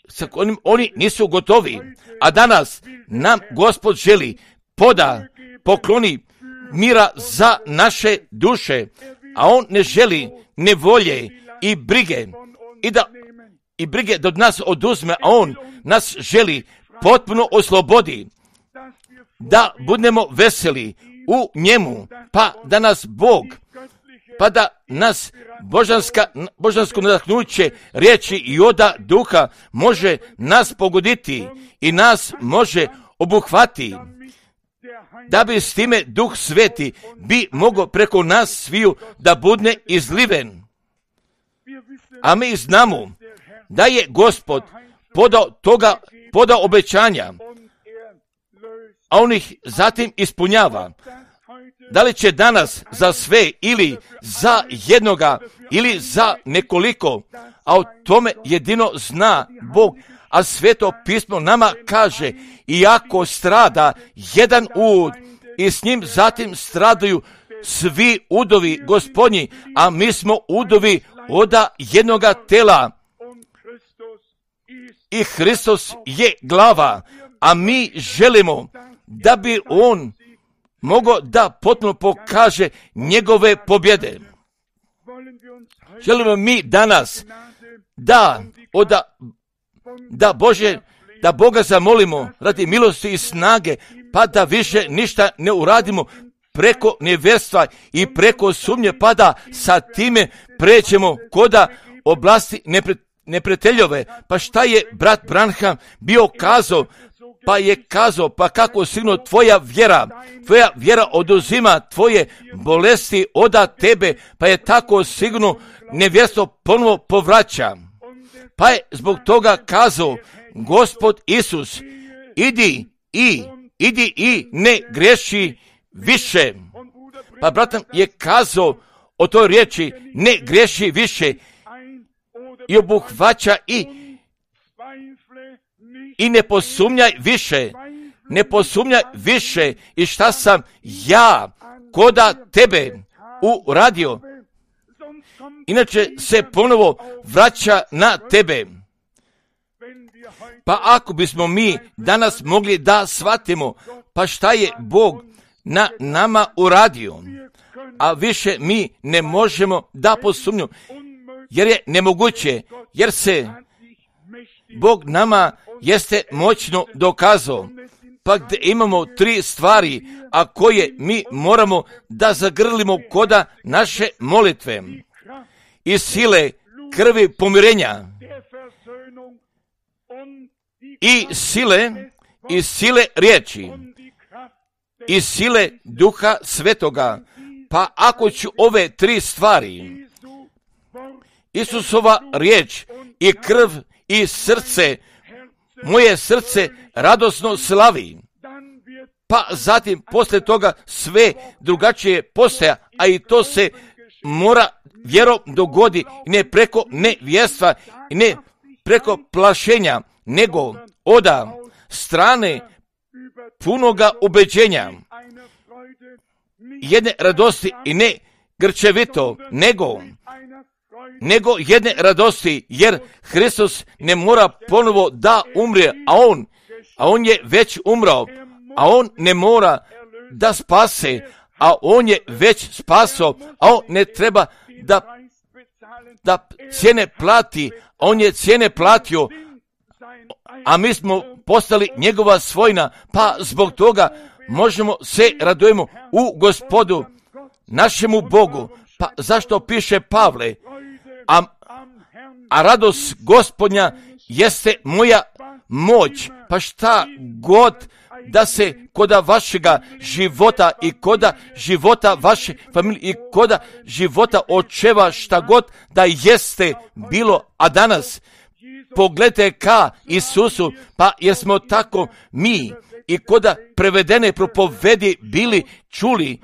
sa kojim oni nisu gotovi. A danas nam Gospod želi poda, pokloni mira za naše duše, a on ne želi nevolje i brige i da i brige do nas oduzme, a on nas želi potpuno oslobodi, da budemo veseli u njemu, pa da nas Bog, pa da nas božanska, božansko nadahnuće riječi i oda duha može nas pogoditi i nas može obuhvati, da bi s time Duh Sveti bi mogao preko nas sviju da budne izliven. A mi znamo da je Gospod podao toga, podao obećanja, a on ih zatim ispunjava. Da li će danas za sve ili za jednoga ili za nekoliko, a o tome jedino zna Bog, a Sveto pismo nama kaže, iako strada jedan ud i s njim zatim stradaju svi udovi Gospodnji, a mi smo udovi oda jednoga tela. I Hristos je glava, a mi želimo da bi on mogao da potpuno pokaže njegove pobjede. Želimo mi danas da oda, da Bože, da Boga zamolimo radi milosti i snage, pa da više ništa ne uradimo preko nevjerstva i preko sumnje, pa da sa time pređemo koda oblasti nepre, neprijateljove. Pa šta je brat Branham bio kazao? Pa je kazao, pa kako sigurno tvoja vjera, tvoja vjera oduzima tvoje bolesti oda tebe, pa je tako sigurno nevjerstvo ponovo povraća. Pa je zbog toga kazao Gospod Isus, idi i, idi i ne greši više. Pa bratam je kazao o toj riječi, ne greši više, i obuhvaća i i ne posumnjaj više, ne posumnjaj više i šta sam ja koda tebe uradio. Inače se ponovo vraća na tebe. Pa ako bismo mi danas mogli da shvatimo, pa šta je Bog na nama uradio, a više mi ne možemo da posumnjamo, jer je nemoguće, jer se Bog nama jeste moćno dokazao. Pa gdje imamo tri stvari, a koje mi moramo da zagrlimo koda naše molitve i sile krvi pomirenja i sile i sile riječi i sile Duha Svetoga. Pa ako ću ove tri stvari, Isusova riječ i krv i srce, moje srce radosno slavi, pa zatim poslije toga sve drugačije postaja, a i to se mora vjerom dogodi, ne preko nevjerstva i ne preko plašenja, nego oda strane punoga ubeđenja, jedne radosti i ne grčevito, nego nego jedne radosti, jer Hristos ne mora ponovo da umre, a on, a on je već umrao, a on ne mora da spase, a on je već spasao, a on ne treba da, da cijene plati, a on je cijene platio, a mi smo postali njegova svojina, pa zbog toga možemo se radujemo u Gospodu, našemu Bogu. Pa zašto piše Pavle? A, a radost Gospodnja jeste moja moć. Pa šta god da se koda vašega života i koda života vaše familije i koda života očeva, šta god da jeste bilo, a danas pogledajte ka Isusu, pa jesmo tako mi i koda prevedene propovedi bili čuli.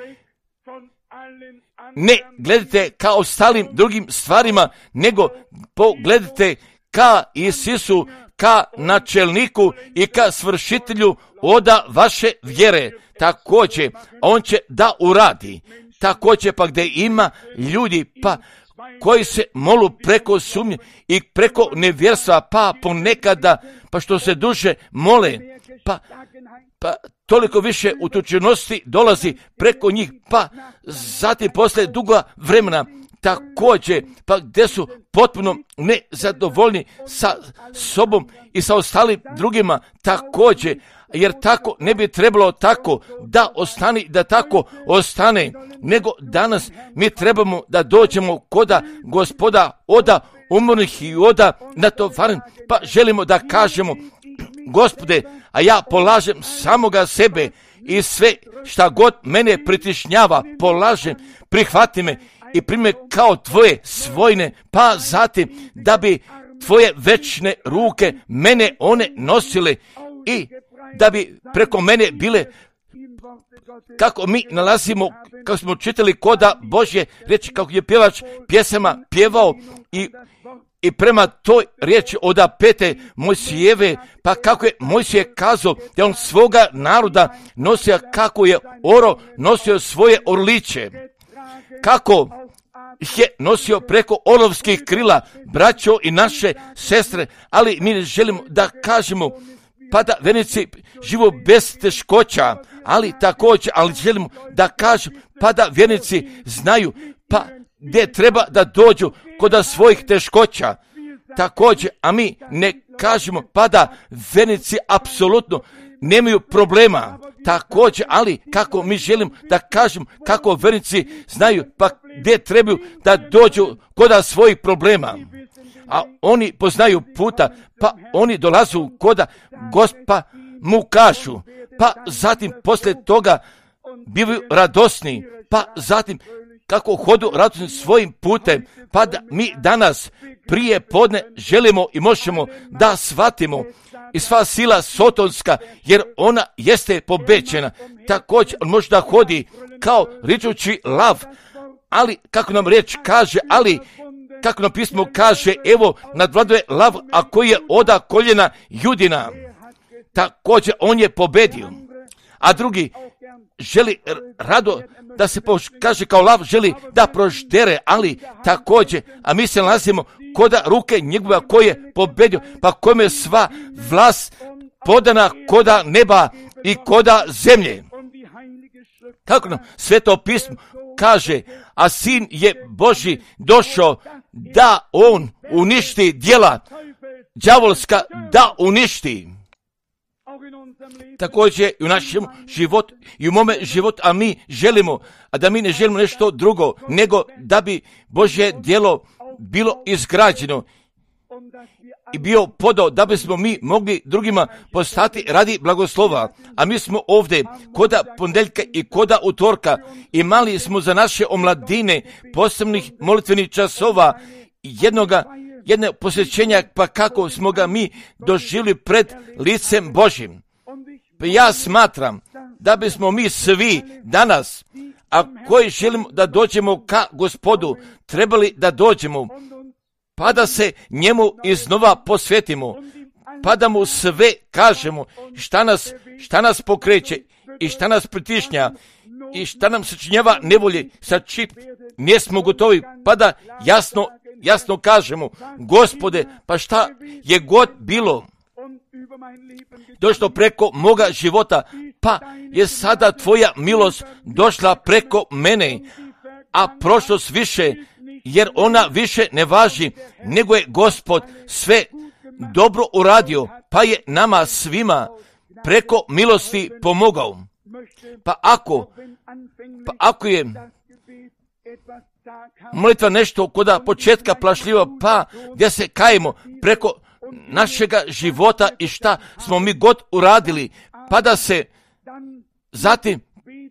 Ne gledajte ka ostalim drugim stvarima, nego pogledajte ka Isusu, ka načelniku i ka svršitelju oda vaše vjere. Također, on će da uradi. Također, pa gdje ima ljudi pa koji se molu preko sumnje i preko nevjerstva, pa ponekada, pa što se duže mole, pa, pa toliko više utučenosti dolazi preko njih, pa zatim posle duga vremena također, pa gdje su potpuno nezadovoljni sa sobom i sa ostalim drugima također, jer tako ne bi trebalo tako da ostane, da tako ostane, nego danas mi trebamo da dođemo koda Gospoda oda umrlih i oda natovaren, pa želimo da kažemo: Gospode, a ja polažem samoga sebe i sve šta god mene pritišnjava, polažem, prihvati me i prime kao tvoje svojne, pa zatim da bi tvoje večne ruke mene one nosile i da bi preko mene bile, kako mi nalazimo, kako smo čitali koda Božje riječi, kako je pjevač pjesama pjevao i I prema toj riječi oda pete Mojsijeve, pa kako je Mojsije kazao da on svoga naroda nosio, kako je oro nosio svoje orliće, kako je nosio preko olovskih krila, braćo i naše sestre, ali mi želimo da kažemo, pa da vernici živo bez teškoća, ali također, ali želimo da kažem, pa da vjernici znaju, pa gdje treba da dođu kod svojih teškoća. Također, a mi ne kažemo, pa da vjernici apsolutno nemaju problema. Također, ali kako mi želimo da kažem, kako vjernici znaju, pa gdje trebaju da dođu kod svojih problema. A oni poznaju puta, pa oni dolazu koda Gospa mu kažu, pa zatim poslije toga bivaju radosni, pa zatim kako hodu radosni svojim putem, pa da mi danas prije podne želimo i možemo da shvatimo i sva sila sotonska, jer ona jeste pobeđena. Također on može da hodi kao ričući lav, ali kako nam riječ kaže, ali kako nam pismo kaže, evo nadvladuje lav, a koji je oda koljena Judina. Također on je pobedio, a drugi želi rado da se kaže kao lav, želi da proždere, ali također, a mi se nalazimo koda ruke njegova koji je pobedio, pa kojom je sva vlast podana koda neba i koda zemlje. Kako nam Sveto pismo kaže, a Sin je Božji došao da on uništi djela đavolska, da uništi. Također i u našem životu i u mome životu, a mi želimo, a da mi ne želimo nešto drugo, nego da bi Božje djelo bilo izgrađeno i bio podao, da bismo mi mogli drugima postati radi blagoslova. A mi smo ovdje koda ponedjeljka i koda utorka imali smo za naše omladine posebnih molitvenih časova, jednoga, jedne posjećenja, pa kako smo ga mi doživjeli pred licem Božjim. Pa ja smatram da bismo mi svi danas, a koji želimo da dođemo ka Gospodu, trebali da dođemo, pa da se njemu iznova posvetimo, pa da mu sve kažemo šta nas, šta nas pokreće i šta nas pritišnja i šta nam sačinjava nevolje, sa čip nismo gotovi, pa da jasno, jasno kažemo, Gospode, pa šta je god bilo došlo preko moga života, pa je sada tvoja milost došla preko mene, a prošlost više, jer ona više ne važi, nego je Gospod sve dobro uradio, pa je nama svima preko milosti pomogao. Pa ako, pa ako je molitva nešto koda početka plašljiva, pa gdje se kajemo preko našega života i šta smo mi god uradili, pa da se zatim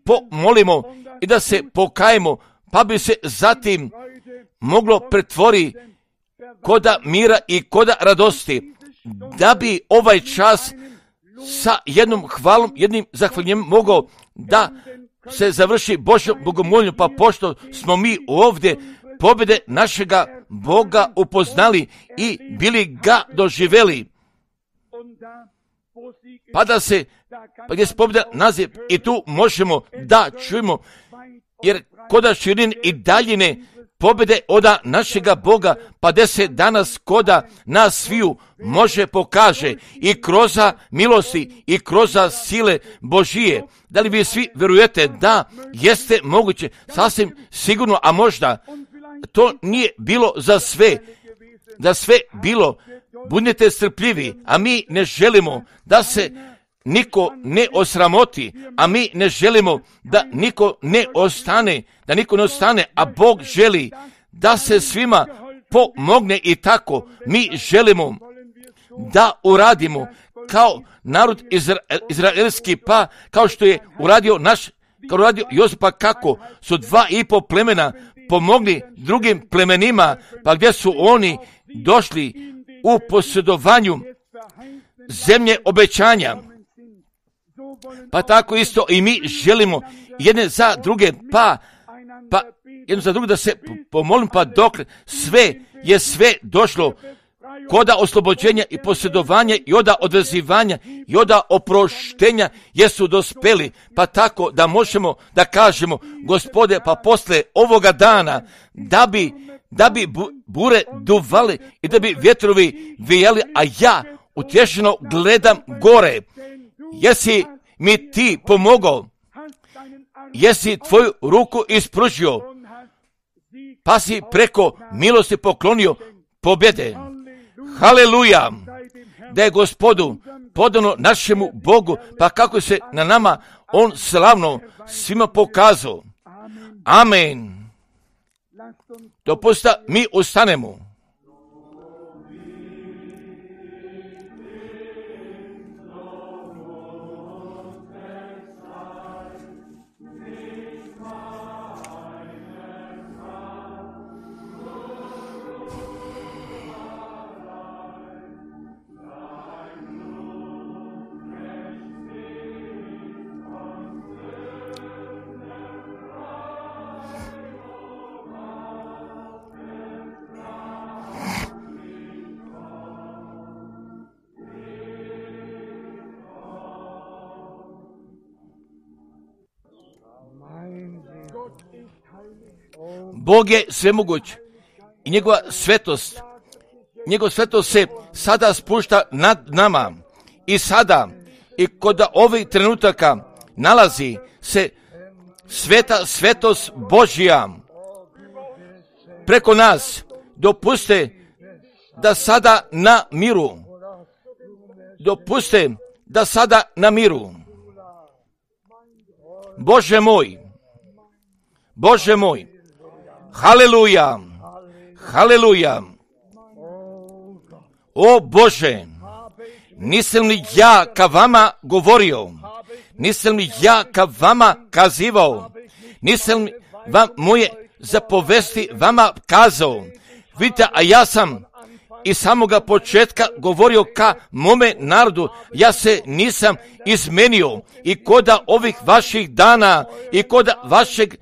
pomolimo i da se pokajemo, pa bi se zatim moglo pretvori koda mira i koda radosti, da bi ovaj čas sa jednom hvalom, jednim zahvaljenjem mogao da se završi Božjom bogomolju, pa pošto smo mi ovdje pobjede našega Boga upoznali i bili ga doživjeli, pa da se, pa gdje se pobjeda naziv i tu možemo da čujemo, jer koda širin i daljine pobjede oda našega Boga, pa gdje se danas koda nas sviju može pokaže i kroz milosti i kroz sile Božije. Da li vi svi vjerujete da jeste moguće, sasvim sigurno, a možda to nije bilo za sve, da sve bilo, budite strpljivi, a mi ne želimo da se niko ne osramoti, a mi ne želimo da niko ne ostane, da niko ne ostane, a Bog želi da se svima pomogne i tako mi želimo da uradimo kao narod izra, izraelski, pa kao što je uradio naš, kao uradio Josip, pa kako su dva i po plemena pomogli drugim plemenima, pa gdje su oni došli u posjedovanju zemlje obećanja. Pa tako isto i mi želimo jedne za druge, pa, pa jedno za druge da se pomolim, pa dok sve je sve došlo koda oslobođenja i posjedovanja i oda odvezivanja i oda oproštenja jesu dospeli, pa tako da možemo da kažemo, Gospode, pa posle ovoga dana da bi, da bi bure duvali i da bi vjetrovi vijali, a ja utješeno gledam gore. Jesi, mi ti pomogao, jesi tvoju ruku ispružio, pa si preko milosti poklonio pobjede. Haleluja! Da je Gospodu podano našemu Bogu, pa kako se na nama on slavno svima pokazao. Amen. Dopusta mi ustanemo. Bog je svemoguć i njegova svetost, njegova svetost se sada spušta nad nama i sada i kod ovih trenutaka nalazi se sveta svetost Božja preko nas. Dopuste da sada na miru, dopuste da sada na miru. Bože moj, Bože moj, haleluja, haleluja. O Bože, nisam li ja ka vama govorio, nisam li ja ka vama kazivao, nisam li vam moje zapovesti vama kazao. Vidite, a ja sam iz samoga početka govorio ka mome narodu, ja se nisam izmenio i koda ovih vaših dana i koda vašeg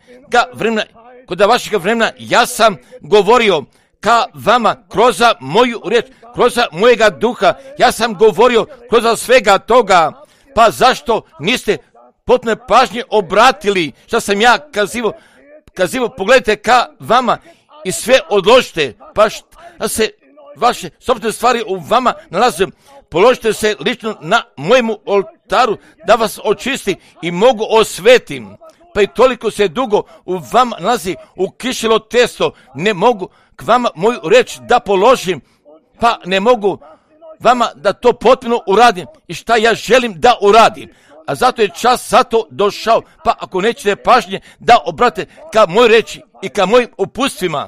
vremena, koda vašeg vremena ja sam govorio ka vama kroz moju riječ, kroz mojega duha, ja sam govorio kroz svega toga. Pa zašto niste potpuno pažnje obratili što sam ja kazivo, kazivo, pogledajte ka vama i sve odložite, pa da se vaše sobstvene stvari u vama nalaze, položite se lično na mojemu oltaru da vas očisti i mogu osvetim. Pa i toliko se dugo u vama nalazi u kišilo testo, ne mogu k vama moju reč da položim, pa ne mogu vama da to potpuno uradim i šta ja želim da uradim. A zato je čas zato došao, pa ako nećete pažnje da obrate ka mojoj reči i ka mojim upustvima,